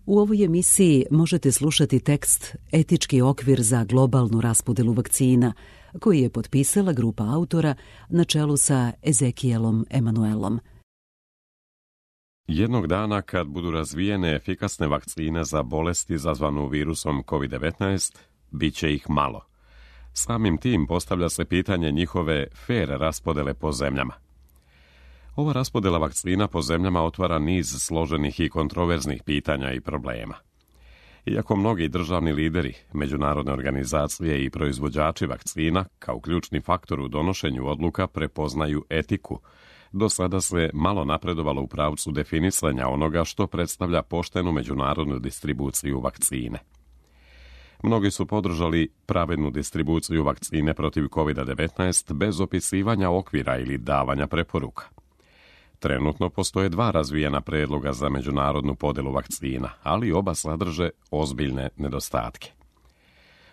U ovoj emisiji možete slušati tekst Etički okvir za globalnu raspodelu vakcina, koji je potpisala grupa autora na čelu sa Ezekielom Emanuelom. Jednog dana, kad budu razvijene efikasne vakcine za bolest izazvanu virusom COVID-19, bit će ih malo. Samim tim postavlja se pitanje njihove fer raspodele po zemljama. Ova raspodela vakcina po zemljama otvara niz složenih i kontroverznih pitanja i problema. Iako mnogi državni lideri, međunarodne organizacije i proizvođači vakcina kao ključni faktor u donošenju odluka prepoznaju etiku, do sada se malo napredovalo u pravcu definisanja onoga što predstavlja poštenu međunarodnu distribuciju vakcine. Mnogi su podržali pravednu distribuciju vakcine protiv COVID-19 bez opisivanja okvira ili davanja preporuka. Trenutno postoje dva razvijena predloga za međunarodnu podelu vakcina, ali oba sadrže ozbiljne nedostatke.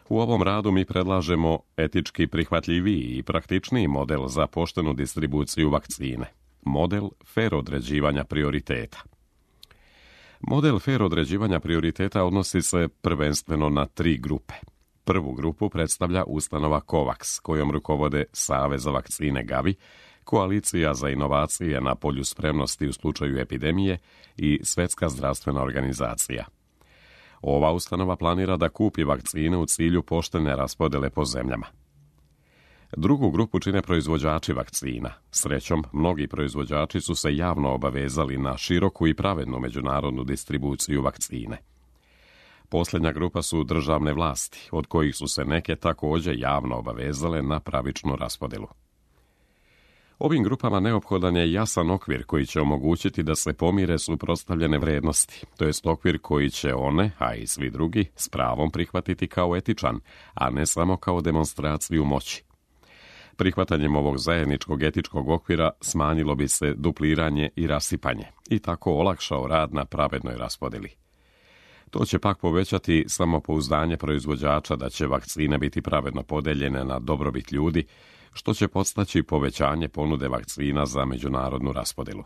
U ovom radu mi predlažemo etički prihvatljiviji i praktičniji model za poštenu distribuciju vakcine, model fer određivanja prioriteta. Model fer određivanja prioriteta odnosi se prvenstveno na 3 grupe. Prvu grupu predstavlja ustanova COVAX, kojom rukovode Savez za vakcine Gavi, Koalicija za inovacije na polju spremnosti u slučaju epidemije i Svjetska zdravstvena organizacija. Ova ustanova planira da kupi vakcine u cilju poštene raspodele po zemljama. Drugu grupu čine proizvođači vakcina. Srećom, mnogi proizvođači su se javno obavezali na široku i pravednu međunarodnu distribuciju vakcine. Posljednja grupa su državne vlasti, od kojih su se neke također javno obavezale na pravičnu raspodelu. Ovim grupama neophodan je jasan okvir koji će omogućiti da se pomire suprotstavljene vrednosti, to jest okvir koji će one, a i svi drugi, s pravom prihvatiti kao etičan, a ne samo kao demonstraciju moći. Prihvatanjem ovog zajedničkog etičkog okvira smanjilo bi se dupliranje i rasipanje i tako olakšao rad na pravednoj raspodeli. To će pak povećati samopouzdanje proizvođača da će vakcine biti pravedno podeljene na dobrobit ljudi, što će podstaći povećanje ponude vakcina za međunarodnu raspodelu.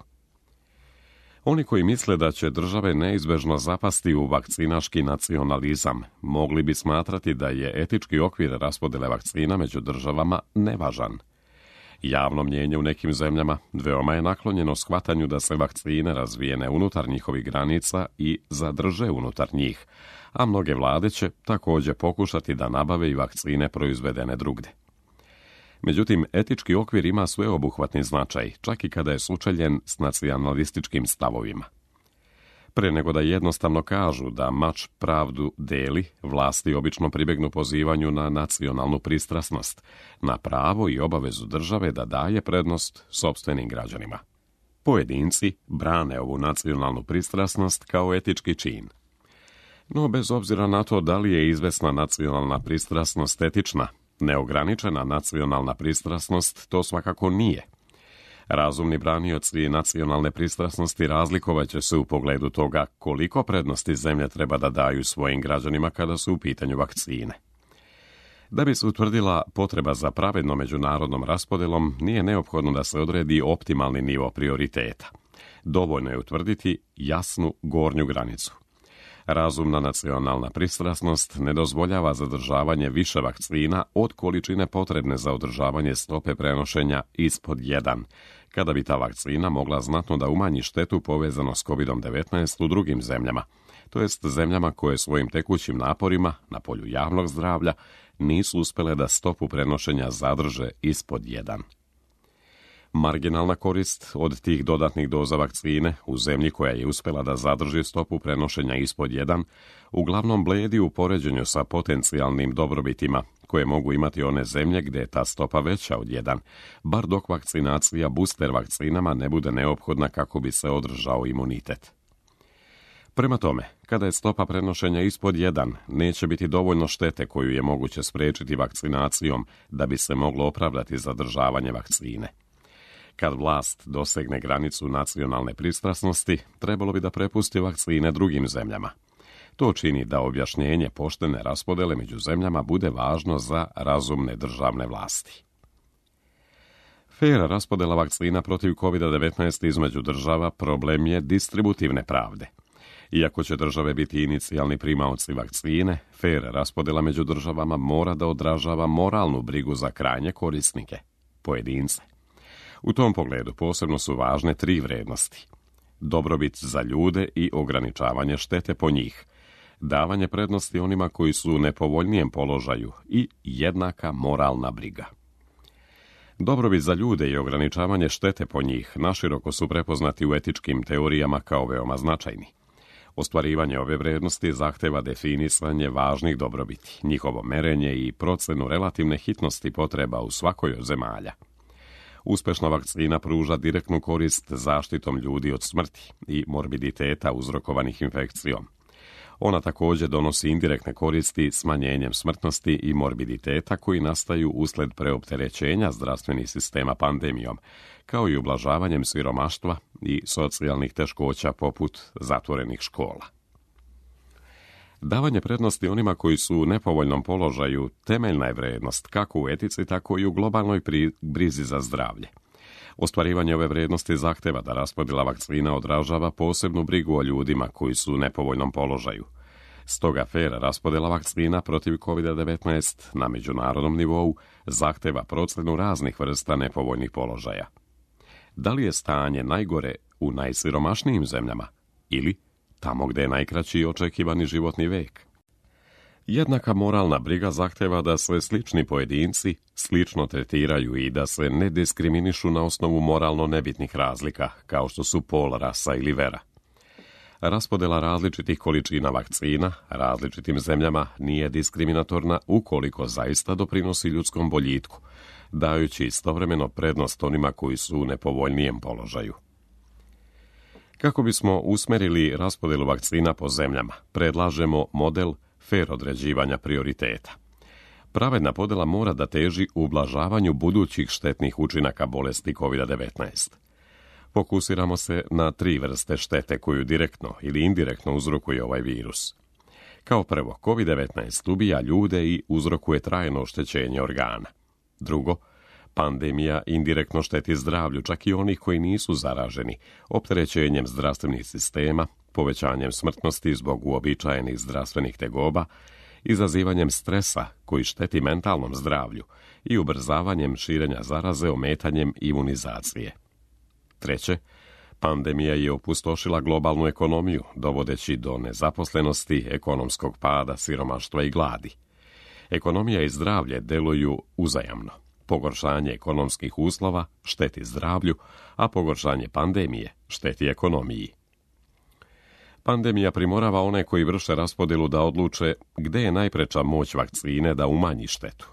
Oni koji misle da će države neizbežno zapasti u vakcinaški nacionalizam, mogli bi smatrati da je etički okvir raspodele vakcina među državama nevažan. Javno mnijenje u nekim zemljama veoma je naklonjeno shvatanju da se vakcine razvijene unutar njihovih granica i zadrže unutar njih, a mnoge vlade će također pokušati da nabave i vakcine proizvedene drugdje. Međutim, etički okvir ima sveobuhvatni značaj, čak i kada je sučeljen s nacionalističkim stavovima. Pre nego da jednostavno kažu da mač pravdu deli, vlasti obično pribegnu pozivanju na nacionalnu pristrasnost, na pravo i obavezu države da daje prednost sopstvenim građanima. Pojedinci brane ovu nacionalnu pristrasnost kao etički čin. No, bez obzira na to da li je izvesna nacionalna pristrasnost etična, neograničena nacionalna pristrasnost to svakako nije. Razumni branioci nacionalne pristrasnosti razlikovat će se u pogledu toga koliko prednosti zemlje treba da daju svojim građanima kada su u pitanju vakcine. Da bi se utvrdila potreba za pravednom međunarodnom raspodelom, nije neophodno da se odredi optimalni nivo prioriteta. Dovoljno je utvrditi jasnu gornju granicu. Razumna nacionalna pristrasnost ne dozvoljava zadržavanje više vakcina od količine potrebne za održavanje stope prenošenja ispod 1, kada bi ta vakcina mogla znatno da umanji štetu povezano s COVID-19 u drugim zemljama, to jest zemljama koje svojim tekućim naporima na polju javnog zdravlja nisu uspjele da stopu prenošenja zadrže ispod 1. Marginalna korist od tih dodatnih doza vakcine u zemlji koja je uspjela da zadrži stopu prenošenja ispod 1, uglavnom bledi u poređenju sa potencijalnim dobrobitima koje mogu imati one zemlje gdje je ta stopa veća od 1, bar dok vakcinacija booster vakcinama ne bude neophodna kako bi se održao imunitet. Prema tome, kada je stopa prenošenja ispod 1, neće biti dovoljno štete koju je moguće spriječiti vakcinacijom da bi se moglo opravdati zadržavanje vakcine. Kad vlast dosegne granicu nacionalne pristrasnosti, trebalo bi da prepusti vakcine drugim zemljama. To čini da objašnjenje poštene raspodele među zemljama bude važno za razumne državne vlasti. Fer raspodela vakcina protiv COVID-19 između država problem je distributivne pravde. Iako će države biti inicijalni primaoci vakcine, fer raspodjela među državama mora da odražava moralnu brigu za krajnje korisnike, pojedince. U tom pogledu posebno su važne 3 vrednosti: dobrobit za ljude i ograničavanje štete po njih, davanje prednosti onima koji su u nepovoljnijem položaju i jednaka moralna briga. Dobrobit za ljude i ograničavanje štete po njih naširoko su prepoznati u etičkim teorijama kao veoma značajni. Ostvarivanje ove vrednosti zahteva definisanje važnih dobrobiti, njihovo merenje i procenu relativne hitnosti potreba u svakoj od zemalja. Uspešna vakcina pruža direktnu korist zaštitom ljudi od smrti i morbiditeta uzrokovanih infekcijom. Ona također donosi indirektne koristi smanjenjem smrtnosti i morbiditeta koji nastaju usled preopterećenja zdravstvenih sistema pandemijom, kao i ublažavanjem siromaštva i socijalnih teškoća poput zatvorenih škola. Davanje prednosti onima koji su u nepovoljnom položaju temeljna je vrednost kako u etici, tako i u globalnoj brizi za zdravlje. Ostvarivanje ove vrednosti zahteva da raspodjela vakcina odražava posebnu brigu o ljudima koji su u nepovoljnom položaju. Stoga fer raspodjela vakcina protiv COVID-19 na međunarodnom nivou zahteva procjenu raznih vrsta nepovoljnih položaja. Da li je stanje najgore u najsiromašnijim zemljama ili tamo gdje je najkraći očekivani životni vek? Jednaka moralna briga zahteva da se slični pojedinci slično tretiraju i da se ne diskriminišu na osnovu moralno nebitnih razlika, kao što su pol, rasa ili vera. Raspodjela različitih količina vakcina različitim zemljama nije diskriminatorna ukoliko zaista doprinosi ljudskom boljitku, dajući istovremeno prednost onima koji su u nepovoljnijem položaju. Kako bismo usmerili raspodjelu vakcina po zemljama, predlažemo model fer određivanja prioriteta. Pravedna podjela mora da teži ublažavanju budućih štetnih učinaka bolesti COVID-19. Fokusiramo se na 3 vrste štete koju direktno ili indirektno uzrokuje ovaj virus. Kao prvo, COVID-19 ubija ljude i uzrokuje trajno oštećenje organa. Drugo, pandemija indirektno šteti zdravlju čak i onih koji nisu zaraženi, opterećenjem zdravstvenih sistema, povećanjem smrtnosti zbog uobičajenih zdravstvenih tegoba, izazivanjem stresa koji šteti mentalnom zdravlju i ubrzavanjem širenja zaraze ometanjem imunizacije. Treće, pandemija je opustošila globalnu ekonomiju, dovodeći do nezaposlenosti, ekonomskog pada, siromaštva i gladi. Ekonomija i zdravlje deluju uzajamno. Pogoršanje ekonomskih uslova šteti zdravlju, a pogoršanje pandemije šteti ekonomiji. Pandemija primorava one koji vrše raspodjelu da odluče gde je najpreča moć vakcine da umanji štetu.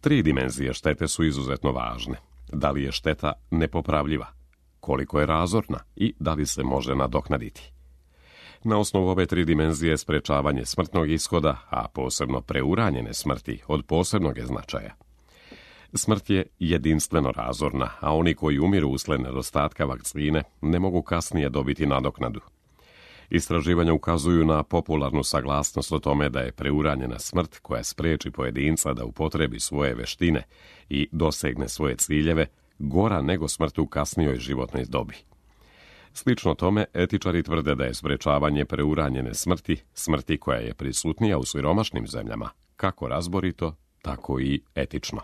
3 dimenzije štete su izuzetno važne. Da li je šteta nepopravljiva, koliko je razorna i da li se može nadoknaditi. Na osnovu ove 3 dimenzije sprečavanje smrtnog ishoda, a posebno preuranjene smrti, od posebnog je značaja. Smrt je jedinstveno razorna, a oni koji umiru usled nedostatka vakcine ne mogu kasnije dobiti nadoknadu. Istraživanja ukazuju na popularnu saglasnost o tome da je preuranjena smrt koja spriječi pojedinca da upotrebi svoje veštine i dosegne svoje ciljeve gora nego smrt u kasnijoj životnoj dobi. Slično tome, etičari tvrde da je sprečavanje preuranjene smrti koja je prisutnija u siromašnim zemljama, kako razborito, tako i etično.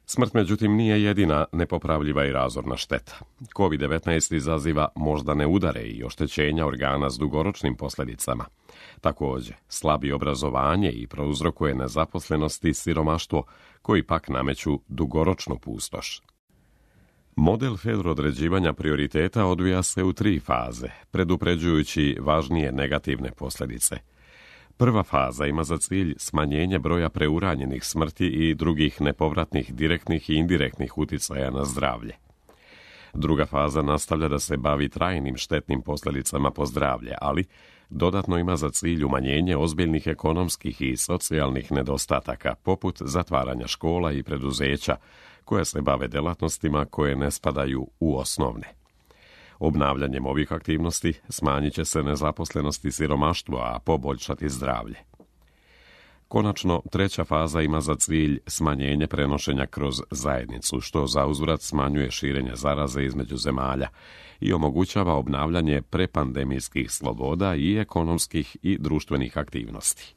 Smrt, međutim, nije jedina nepopravljiva i razorna šteta. COVID-19 izaziva moždane udare i oštećenja organa s dugoročnim posljedicama. Također, slabi obrazovanje i prouzrokuje nezaposlenost i siromaštvo, koji pak nameću dugoročnu pustoš. Model fer određivanja prioriteta odvija se u 3 faze, predupređujući važnije negativne posljedice. Prva faza ima za cilj smanjenje broja preuranjenih smrti i drugih nepovratnih direktnih i indirektnih uticaja na zdravlje. Druga faza nastavlja da se bavi trajnim štetnim posljedicama po zdravlje, ali dodatno ima za cilj umanjenje ozbiljnih ekonomskih i socijalnih nedostataka, poput zatvaranja škola i preduzeća, koje se bave delatnostima koje ne spadaju u osnovne. Obnavljanjem ovih aktivnosti smanjit će se nezaposlenost i siromaštvo, a poboljšati zdravlje. Konačno, treća faza ima za cilj smanjenje prenošenja kroz zajednicu, što zauzvrat smanjuje širenje zaraze između zemalja i omogućava obnavljanje prepandemijskih sloboda i ekonomskih i društvenih aktivnosti.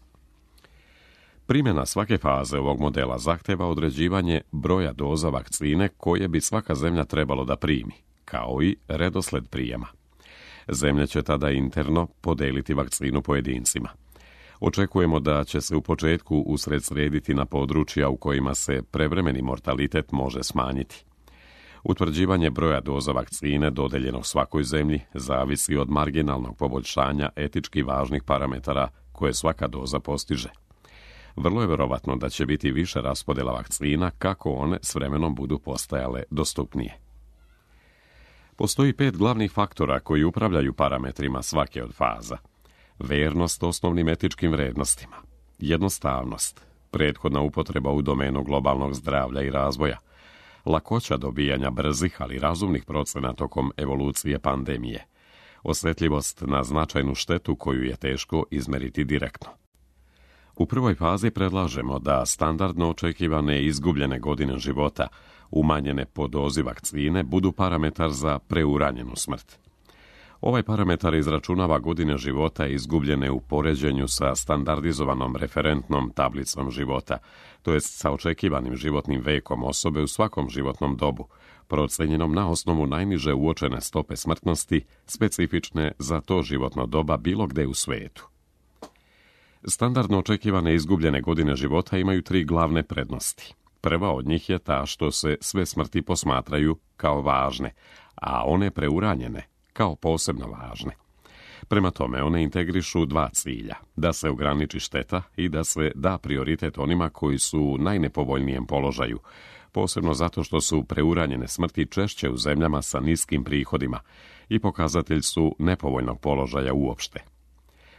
Primjena svake faze ovog modela zahteva određivanje broja doza vakcine koje bi svaka zemlja trebalo da primi, kao i redosled prijema. Zemlje će tada interno podeliti vakcinu pojedincima. Očekujemo da će se u početku usredsrediti na područja u kojima se prevremeni mortalitet može smanjiti. Utvrđivanje broja doza vakcine dodeljenog svakoj zemlji zavisi od marginalnog poboljšanja etički važnih parametara koje svaka doza postiže. Vrlo je vjerovatno da će biti više raspodjela vakcina kako one s vremenom budu postajale dostupnije. Postoji 5 glavnih faktora koji upravljaju parametrima svake od faza. Vernost osnovnim etičkim vrednostima, jednostavnost, prethodna upotreba u domenu globalnog zdravlja i razvoja, lakoća dobijanja brzih ali razumnih procena tokom evolucije pandemije, osjetljivost na značajnu štetu koju je teško izmeriti direktno. U prvoj fazi predlažemo da standardno očekivane izgubljene godine života, umanjene po dozi vakcine, budu parametar za preuranjenu smrt. Ovaj parametar izračunava godine života izgubljene u poređenju sa standardizovanom referentnom tablicom života, to jest sa očekivanim životnim vekom osobe u svakom životnom dobu, procenjenom na osnovu najniže uočene stope smrtnosti, specifične za to životno doba bilo gde u svijetu. Standardno očekivane izgubljene godine života imaju 3 glavne prednosti. Prva od njih je ta što se sve smrti posmatraju kao važne, a one preuranjene kao posebno važne. Prema tome, one integrišu 2 cilja, da se ograniči šteta i da se da prioritet onima koji su u najnepovoljnijem položaju, posebno zato što su preuranjene smrti češće u zemljama sa niskim prihodima i pokazatelj su nepovoljnog položaja uopšte.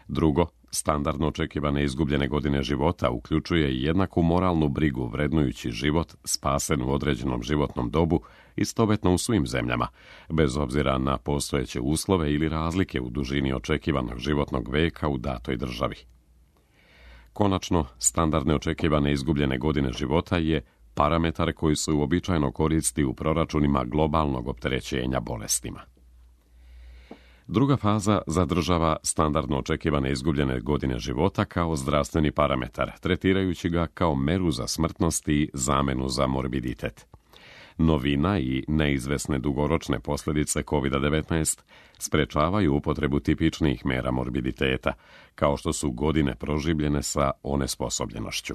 Drugo, standardno očekivane izgubljene godine života uključuje jednaku moralnu brigu vrednujući život spasen u određenom životnom dobu istovetno u svim zemljama, bez obzira na postojeće uslove ili razlike u dužini očekivanog životnog veka u datoj državi. Konačno, standardne očekivane izgubljene godine života je parametar koji se uobičajeno koristi u proračunima globalnog opterećenja bolestima. Druga faza zadržava standardno očekivane izgubljene godine života kao zdravstveni parametar, tretirajući ga kao meru za smrtnost i zamenu za morbiditet. Novina i neizvesne dugoročne posljedice COVID-19 sprečavaju upotrebu tipičnih mera morbiditeta, kao što su godine proživljene sa onesposobljenošću.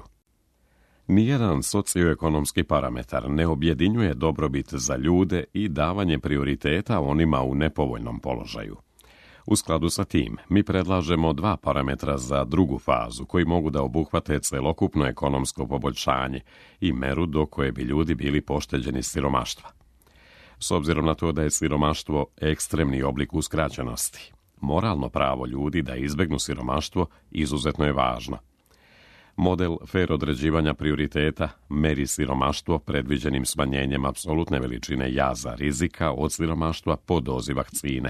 Nijedan socioekonomski parametar ne objedinjuje dobrobit za ljude i davanje prioriteta onima u nepovoljnom položaju. U skladu sa tim, mi predlažemo 2 parametra za drugu fazu koji mogu da obuhvate celokupno ekonomsko poboljšanje i meru do koje bi ljudi bili pošteđeni siromaštva. S obzirom na to da je siromaštvo ekstremni oblik uskraćenosti, moralno pravo ljudi da izbegnu siromaštvo izuzetno je važno. Model fer određivanja prioriteta meri siromaštvo predviđenim smanjenjem apsolutne veličine jaza rizika od siromaštva po dozi vakcine,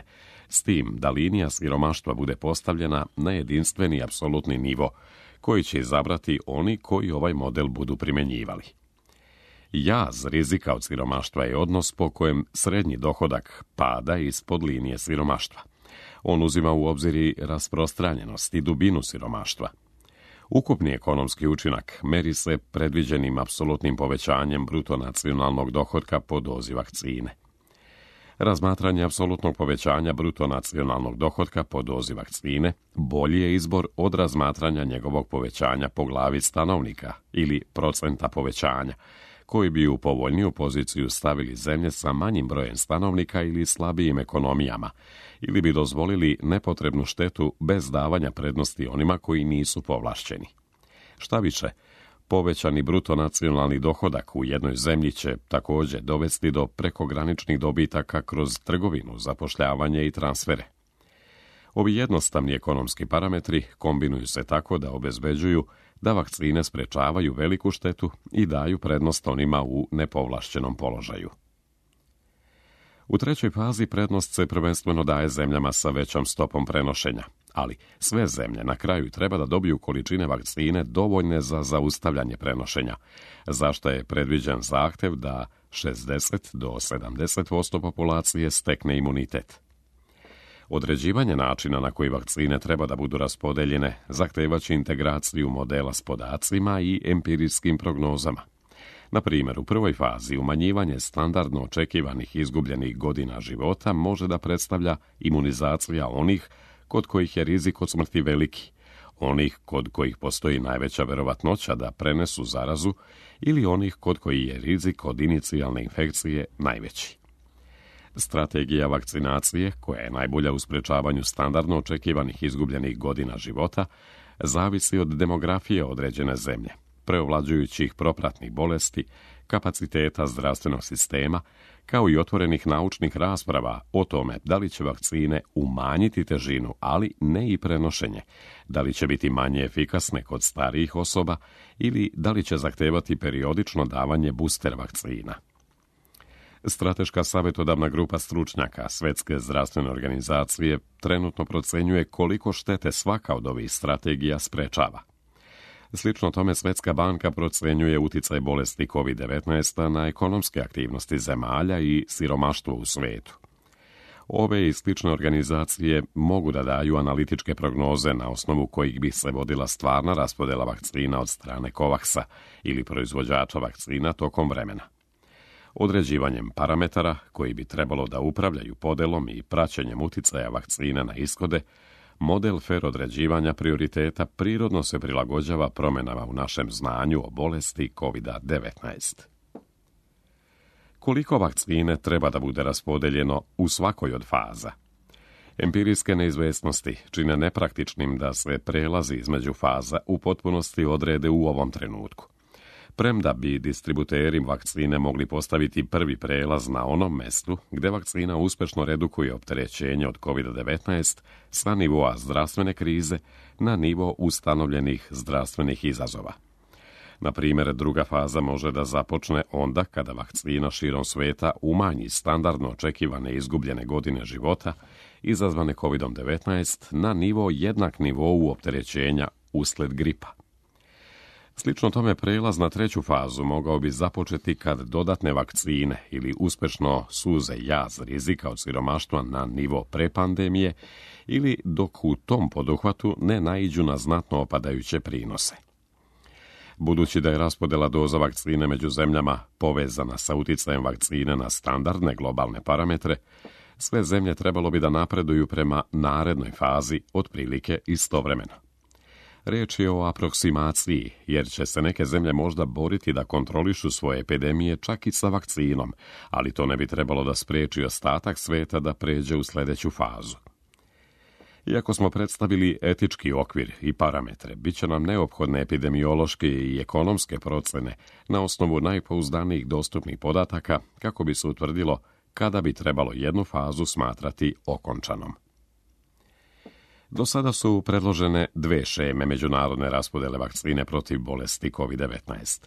s tim da linija siromaštva bude postavljena na jedinstveni apsolutni nivo, koji će izabrati oni koji ovaj model budu primjenjivali. Jaz rizika od siromaštva je odnos po kojem srednji dohodak pada ispod linije siromaštva. On uzima u obzir i rasprostranjenost i dubinu siromaštva. Ukupni ekonomski učinak meri se predviđenim apsolutnim povećanjem bruto nacionalnog dohotka po dozi vakcine. Razmatranje apsolutnog povećanja bruto nacionalnog dohotka po dozi vakcine bolji je izbor od razmatranja njegovog povećanja po glavi stanovnika ili procenta povećanja, koji bi u povoljniju poziciju stavili zemlje sa manjim brojem stanovnika ili slabijim ekonomijama, ili bi dozvolili nepotrebnu štetu bez davanja prednosti onima koji nisu povlašćeni. Šta više, povećani bruto nacionalni dohodak u jednoj zemlji će također dovesti do prekograničnih dobitaka kroz trgovinu, zapošljavanje i transfere. Ovi jednostavni ekonomski parametri kombinuju se tako da obezbeđuju da vakcine sprečavaju veliku štetu i daju prednost onima u nepovlašćenom položaju. U trećoj fazi prednost se prvenstveno daje zemljama sa većom stopom prenošenja, ali sve zemlje na kraju treba da dobiju količine vakcine dovoljne za zaustavljanje prenošenja, za što je predviđen zahtev da 60 do 70% populacije stekne imunitet. Određivanje načina na koji vakcine treba da budu raspodeljene zahtevaće integraciju modela s podacima i empirijskim prognozama. Na primjer, u prvoj fazi umanjivanje standardno očekivanih izgubljenih godina života može da predstavlja imunizacija onih kod kojih je rizik od smrti veliki, onih kod kojih postoji najveća verovatnoća da prenesu zarazu ili onih kod kojih je rizik od inicijalne infekcije najveći. Strategija vakcinacije, koja je najbolja u sprečavanju standardno očekivanih izgubljenih godina života, zavisi od demografije određene zemlje, preovlađujućih propratnih bolesti, kapaciteta zdravstvenog sistema, kao i otvorenih naučnih rasprava o tome da li će vakcine umanjiti težinu, ali ne i prenošenje, da li će biti manje efikasne kod starijih osoba ili da li će zahtevati periodično davanje booster vakcina. Strateška savjetodavna grupa stručnjaka Svetske zdravstvene organizacije trenutno procenjuje koliko štete svaka od ovih strategija sprečava. Slično tome Svetska banka procenjuje uticaj bolesti COVID-19 na ekonomske aktivnosti zemalja i siromaštvo u svetu. Ove i slične organizacije mogu da daju analitičke prognoze na osnovu kojih bi se vodila stvarna raspodela vakcina od strane COVAX-a ili proizvođača vakcina tokom vremena. Određivanjem parametara koji bi trebalo da upravljaju podelom i praćenjem uticaja vakcina na ishode, model fer određivanja prioriteta prirodno se prilagođava promjenama u našem znanju o bolesti COVID-19. Koliko vakcine treba da bude raspodeljeno u svakoj od faza? Empirijske neizvesnosti čine nepraktičnim da se prelazi između faza u potpunosti odrede u ovom trenutku. Premda bi distributeri vakcine mogli postaviti prvi prelaz na onom mestu gde vakcina uspešno redukuje opterećenje od COVID-19 sa nivoa zdravstvene krize na nivo ustanovljenih zdravstvenih izazova. Na primjer, druga faza može da započne onda kada vakcina širom sveta umanji standardno očekivane izgubljene godine života izazvane COVID-19 na nivo jednak nivou opterećenja usled gripa. Slično tome prelaz na treću fazu mogao bi započeti kad dodatne vakcine ili uspešno suze jaz rizika od siromaštva na nivo prepandemije ili dok u tom poduhvatu ne naiđu na znatno opadajuće prinose. Budući da je raspodela doza vakcine među zemljama povezana sa uticajem vakcine na standardne globalne parametre, sve zemlje trebalo bi da napreduju prema narednoj fazi otprilike istovremeno. Riječ je o aproksimaciji, jer će se neke zemlje možda boriti da kontrolišu svoje epidemije čak i sa vakcinom, ali to ne bi trebalo da spriječi ostatak sveta da pređe u sljedeću fazu. Iako smo predstavili etički okvir i parametre, bit će nam neophodne epidemiološke i ekonomske procene na osnovu najpouzdanijih dostupnih podataka kako bi se utvrdilo kada bi trebalo jednu fazu smatrati okončanom. Do sada su predložene dve šeme međunarodne raspodele vakcine protiv bolesti COVID-19.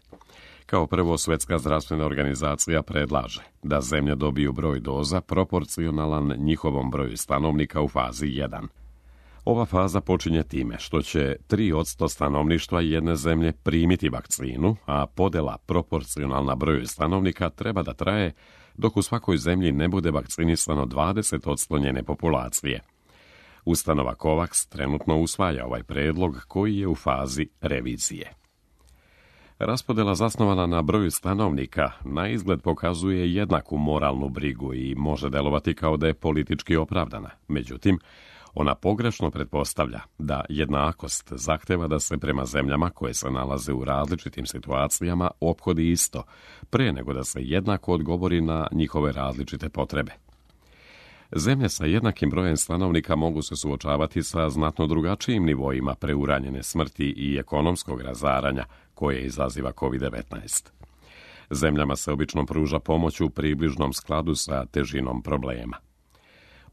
Kao prvo, Svetska zdravstvena organizacija predlaže da zemlje dobiju broj doza proporcionalan njihovom broju stanovnika u fazi 1. Ova faza počinje time što će 3% stanovništva jedne zemlje primiti vakcinu, a podela proporcionalna broju stanovnika treba da traje dok u svakoj zemlji ne bude vakcinisano 20% njene populacije. Ustanova COVAX trenutno usvaja ovaj predlog koji je u fazi revizije. Raspodela zasnovana na broju stanovnika na izgled pokazuje jednaku moralnu brigu i može delovati kao da je politički opravdana. Međutim, ona pogrešno pretpostavlja da jednakost zahteva da se prema zemljama koje se nalaze u različitim situacijama ophodi isto, pre nego da se jednako odgovori na njihove različite potrebe. Zemlje sa jednakim brojem stanovnika mogu se suočavati sa znatno drugačijim nivoima preuranjene smrti i ekonomskog razaranja koje izaziva COVID-19. Zemljama se obično pruža pomoć u približnom skladu sa težinom problema.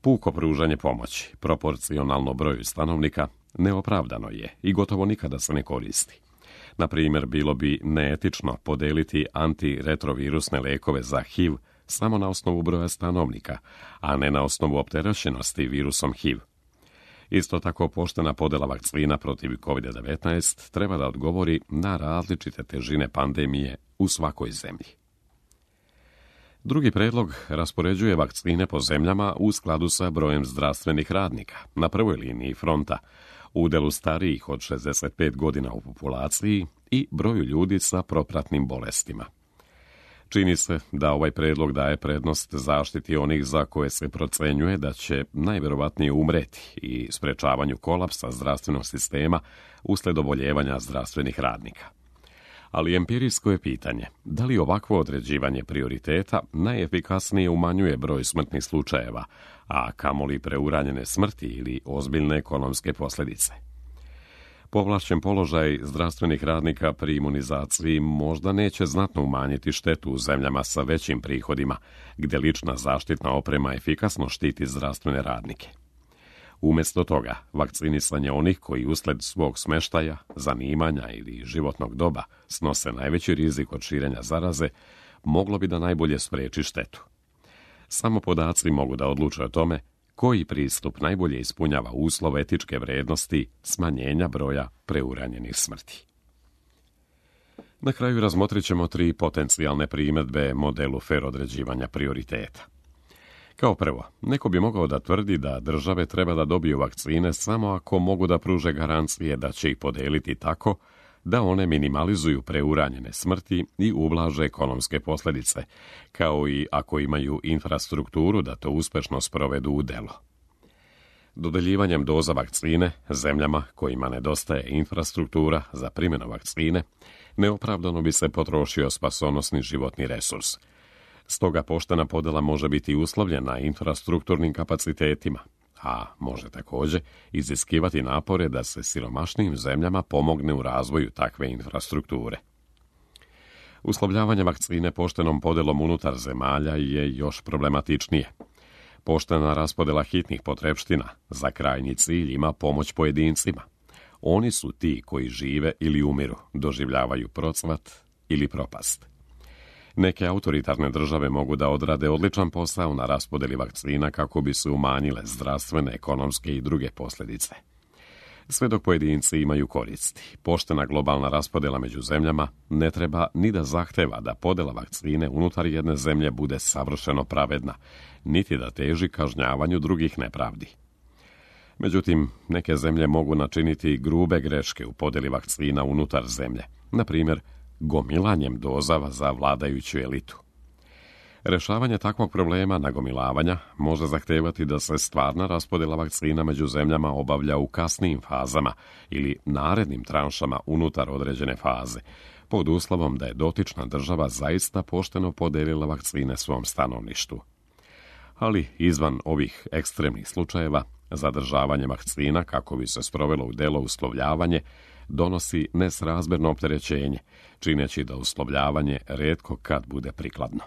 Puko pružanje pomoći, proporcionalno broju stanovnika, neopravdano je i gotovo nikada se ne koristi. Na primjer, bilo bi neetično podeliti antiretrovirusne lekove za HIV samo na osnovu broja stanovnika, a ne na osnovu opterećenosti virusom HIV. Isto tako, poštena podjela vakcina protiv COVID-19 treba da odgovori na različite težine pandemije u svakoj zemlji. Drugi predlog raspoređuje vakcine po zemljama u skladu sa brojem zdravstvenih radnika na prvoj liniji fronta, udjelu starijih od 65 godina u populaciji i broju ljudi sa propratnim bolestima. Čini se da ovaj predlog daje prednost zaštiti onih za koje se procenjuje da će najvjerovatnije umreti i sprečavanju kolapsa zdravstvenog sistema usled oboljevanja zdravstvenih radnika. Ali empirijsko je pitanje da li ovakvo određivanje prioriteta najefikasnije umanjuje broj smrtnih slučajeva, a kamoli preuranjene smrti ili ozbiljne ekonomske posljedice. Povlašćen položaj zdravstvenih radnika pri imunizaciji možda neće znatno umanjiti štetu u zemljama sa većim prihodima, gdje lična zaštitna oprema efikasno štiti zdravstvene radnike. Umjesto toga, vakcinisanje onih koji usled svog smještaja, zanimanja ili životnog doba snose najveći rizik od širenja zaraze, moglo bi da najbolje spriječi štetu. Samo podaci mogu da odluče o tome koji pristup najbolje ispunjava uslov etičke vrijednosti smanjenja broja preuranjenih smrti. Na kraju razmotrit ćemo 3 potencijalne primjedbe modelu fer određivanja prioriteta. Kao prvo, neko bi mogao da tvrdi da države treba da dobiju vakcine samo ako mogu da pruže garancije da će ih podeliti tako da one minimalizuju preuranjene smrti i ublaže ekonomske posljedice, kao i ako imaju infrastrukturu da to uspješno sprovedu u delo. Dodeljivanjem doza vakcine zemljama kojima nedostaje infrastruktura za primjenu vakcine, neopravdano bi se potrošio spasonosni životni resurs. Stoga poštena podjela može biti uslovljena infrastrukturnim kapacitetima, a može također iziskivati napore da se siromašnijim zemljama pomogne u razvoju takve infrastrukture. Uslovljavanje vakcine poštenom podjelom unutar zemalja je još problematičnije. Poštena raspodjela hitnih potrepština za krajnji cilj ima pomoć pojedincima. Oni su ti koji žive ili umiru, doživljavaju procvat ili propast. Neke autoritarne države mogu da odrade odličan posao na raspodjeli vakcina kako bi se umanjile zdravstvene, ekonomske i druge posljedice. Sve dok pojedinci imaju koristi, poštena globalna raspodjela među zemljama ne treba ni da zahteva da podjela vakcine unutar jedne zemlje bude savršeno pravedna, niti da teži kažnjavanju drugih nepravdi. Međutim, neke zemlje mogu načiniti grube greške u podjeli vakcina unutar zemlje, na primjer, gomilanjem dozava za vladajuću elitu. Rješavanje takvog problema nagomilavanja može zahtevati da se stvarna raspodjela vakcina među zemljama obavlja u kasnijim fazama ili narednim tranšama unutar određene faze, pod uslovom da je dotična država zaista pošteno podelila vakcine svom stanovništvu. Ali izvan ovih ekstremnih slučajeva, zadržavanje vakcina kako bi se sprovelo u delo uslovljavanje donosi nesrazmjerno opterećenje, čineći da uslovljavanje rijetko kad bude prikladno.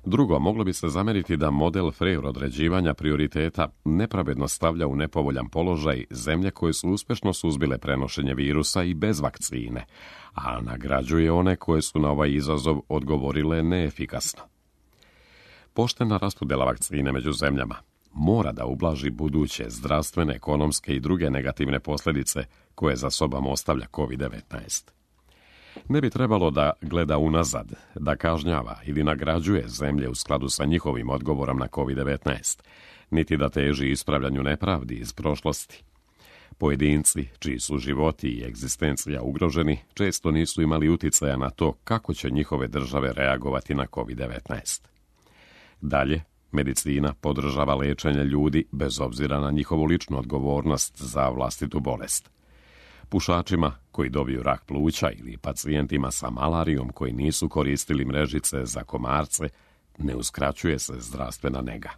Drugo, moglo bi se zamjeriti da model fer određivanja prioriteta nepravedno stavlja u nepovoljan položaj zemlje koje su uspješno suzbile prenošenje virusa i bez vakcine, a nagrađuje one koje su na ovaj izazov odgovorile neefikasno. Poštena raspodjela vakcine među zemljama mora da ublaži buduće zdravstvene, ekonomske i druge negativne posljedice koje za sobom ostavlja COVID-19. Ne bi trebalo da gleda unazad, da kažnjava ili nagrađuje zemlje u skladu sa njihovim odgovorom na COVID-19, niti da teži ispravljanju nepravdi iz prošlosti. Pojedinci, čiji su životi i egzistencija ugroženi, često nisu imali uticaja na to kako će njihove države reagovati na COVID-19. Dalje, medicina podržava liječenje ljudi bez obzira na njihovu ličnu odgovornost za vlastitu bolest. Pušačima koji dobiju rak pluća ili pacijentima sa malarijom koji nisu koristili mrežice za komarce ne uskraćuje se zdravstvena nega.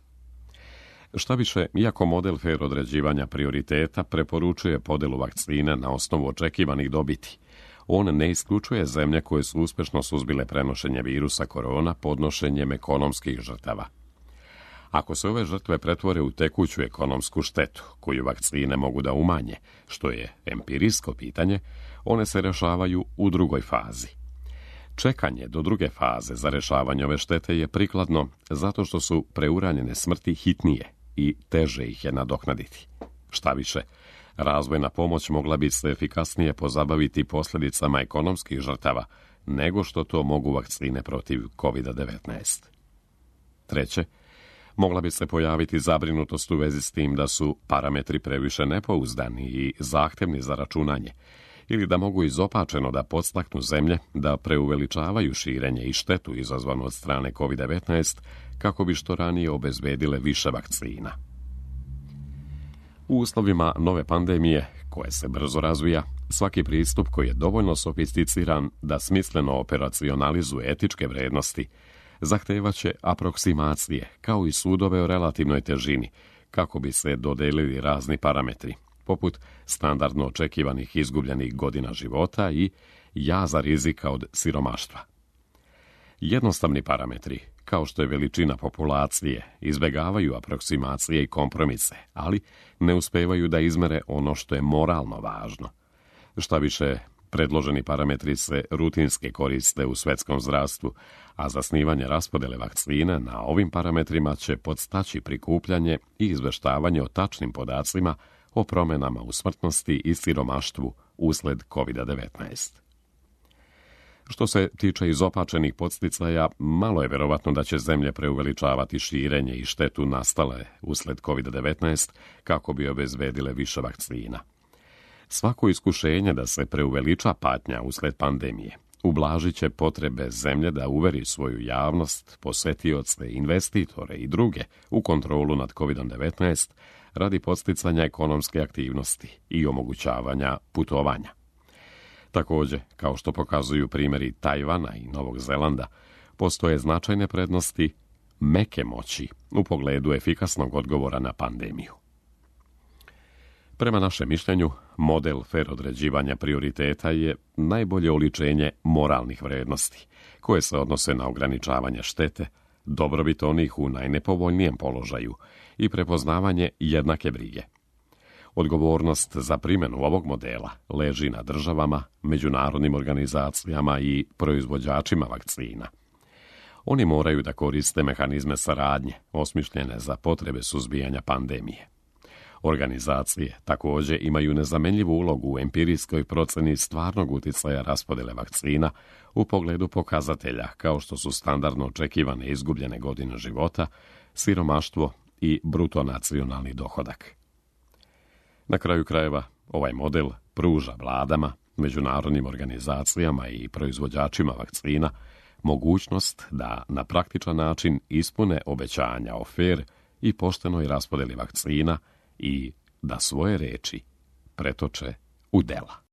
Šta više, iako model fer određivanja prioriteta preporučuje podjelu vakcine na osnovu očekivanih dobiti, on ne isključuje zemlje koje su uspješno suzbile prenošenje virusa korona podnošenjem ekonomskih žrtava. Ako se ove žrtve pretvore u tekuću ekonomsku štetu, koju vakcine mogu da umanje, što je empirijsko pitanje, one se rješavaju u drugoj fazi. Čekanje do druge faze za rješavanje ove štete je prikladno zato što su preuranjene smrti hitnije i teže ih je nadoknaditi. Šta više, razvojna pomoć mogla bi se efikasnije pozabaviti posljedicama ekonomskih žrtava nego što to mogu vakcine protiv COVID-19. Treće, mogla bi se pojaviti zabrinutost u vezi s tim da su parametri previše nepouzdani i zahtjevni za računanje, ili da mogu izopačeno da podstaknu zemlje da preuveličavaju širenje i štetu izazvanu od strane COVID-19 kako bi što ranije obezbedile više vakcina. U uslovima nove pandemije, koje se brzo razvija, svaki pristup koji je dovoljno sofisticiran da smisleno operacionalizuje etičke vrednosti, zahtevaće aproksimacije, kao i sudove o relativnoj težini, kako bi se dodelili razni parametri, poput standardno očekivanih izgubljenih godina života i jaza rizika od siromaštva. Jednostavni parametri, kao što je veličina populacije, izbjegavaju aproksimacije i kompromise, ali ne uspevaju da izmere ono što je moralno važno. Šta više, predloženi parametri se rutinski koriste u svjetskom zdravstvu, a zasnivanje raspodjele vakcine na ovim parametrima će podstaći prikupljanje i izveštavanje o tačnim podacima o promjenama u smrtnosti i siromaštvu usled COVID-19. Što se tiče izopačenih podsticaja, malo je vjerovatno da će zemlje preuveličavati širenje i štetu nastale usled COVID-19 kako bi obezbedile više vakcina. Svako iskušenje da se preuveliča patnja usled pandemije ublažit će potrebe zemlje da uveri svoju javnost, posetioce, investitore i druge u kontrolu nad COVID-19 radi podsticanja ekonomske aktivnosti i omogućavanja putovanja. Također, kao što pokazuju primjeri Tajvana i Novog Zelanda, postoje značajne prednosti meke moći u pogledu efikasnog odgovora na pandemiju. Prema našem mišljenju, model fer određivanja prioriteta je najbolje oličenje moralnih vrednosti, koje se odnose na ograničavanje štete, dobrobit onih u najnepovoljnijem položaju i prepoznavanje jednake brige. Odgovornost za primjenu ovog modela leži na državama, međunarodnim organizacijama i proizvođačima vakcina. Oni moraju da koriste mehanizme saradnje, osmišljene za potrebe suzbijanja pandemije. Organizacije također imaju nezamenljivu ulogu u empirijskoj procjeni stvarnog utjecaja raspodjele vakcina u pogledu pokazatelja kao što su standardno očekivane izgubljene godine života, siromaštvo i bruto nacionalni dohodak. Na kraju krajeva, ovaj model pruža vladama, međunarodnim organizacijama i proizvođačima vakcina mogućnost da na praktičan način ispune obećanja o fer i poštenoj raspodjeli vakcina i da svoje reči pretoče u dela.